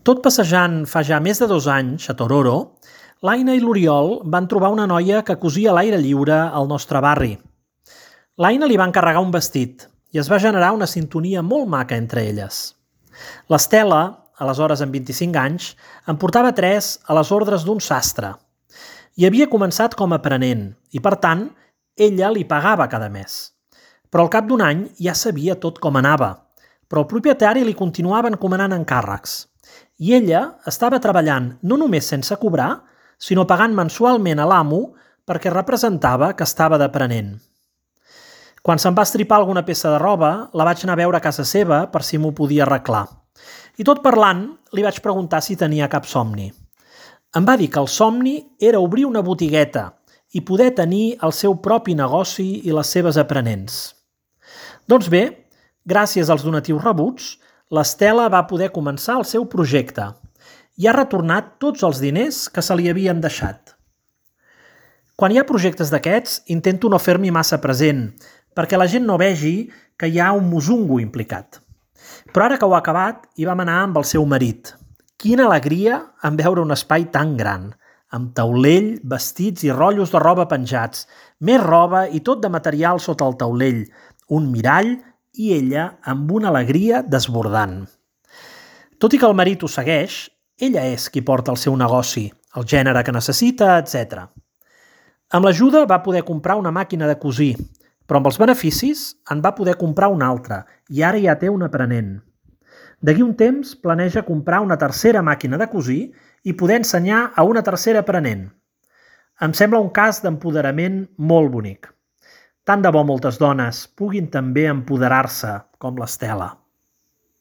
Tot passejant fa ja més de 2 anys a Tororo, l'Aina i l'Oriol van trobar una noia que cosia a l'aire lliure al nostre barri. L'Aina li va encarregar un vestit i es va generar una sintonia molt maca entre elles. L'Estela, aleshores amb 25 anys, en portava 3 a les ordres d'un sastre. I havia començat com a aprenent i, per tant, ella li pagava cada mes. Però al cap d'un any ja sabia tot com anava, però el propietari li continuava encomanant encàrrecs. I ella estava treballant no només sense cobrar, sinó pagant mensualment a l'amo perquè representava que estava d'aprenent. Quan se'm va estripar alguna peça de roba, la vaig anar a veure a casa seva per si m'ho podia arreglar. I tot parlant, li vaig preguntar si tenia cap somni. Em va dir que el somni era obrir una botigueta i poder tenir el seu propi negoci i les seves aprenents. Doncs bé, gràcies als donatius rebuts, l'Estela va poder començar el seu projecte i ha retornat tots els diners que se li havien deixat. Quan hi ha projectes d'aquests, intento no fer-m'hi massa present, perquè la gent no vegi que hi ha un musungo implicat. Però ara que ho ha acabat, hi vam anar amb el seu marit. Quina alegria en veure un espai tan gran, amb taulell, vestits i rotllos de roba penjats, més roba i tot de material sota el taulell, un mirall i ella amb una alegria desbordant. Tot i que el marit ho segueix, ella és qui porta el seu negoci, el gènere que necessita, etc. Amb l'ajuda va poder comprar una màquina de cosir, però amb els beneficis en va poder comprar una altra i ara ja té un aprenent. D'aquí un temps planeja comprar una tercera màquina de cosir i poder ensenyar a una tercera aprenent. Em sembla un cas d'empoderament molt bonic. Tant de bo moltes dones puguin també empoderar-se com l'Estela.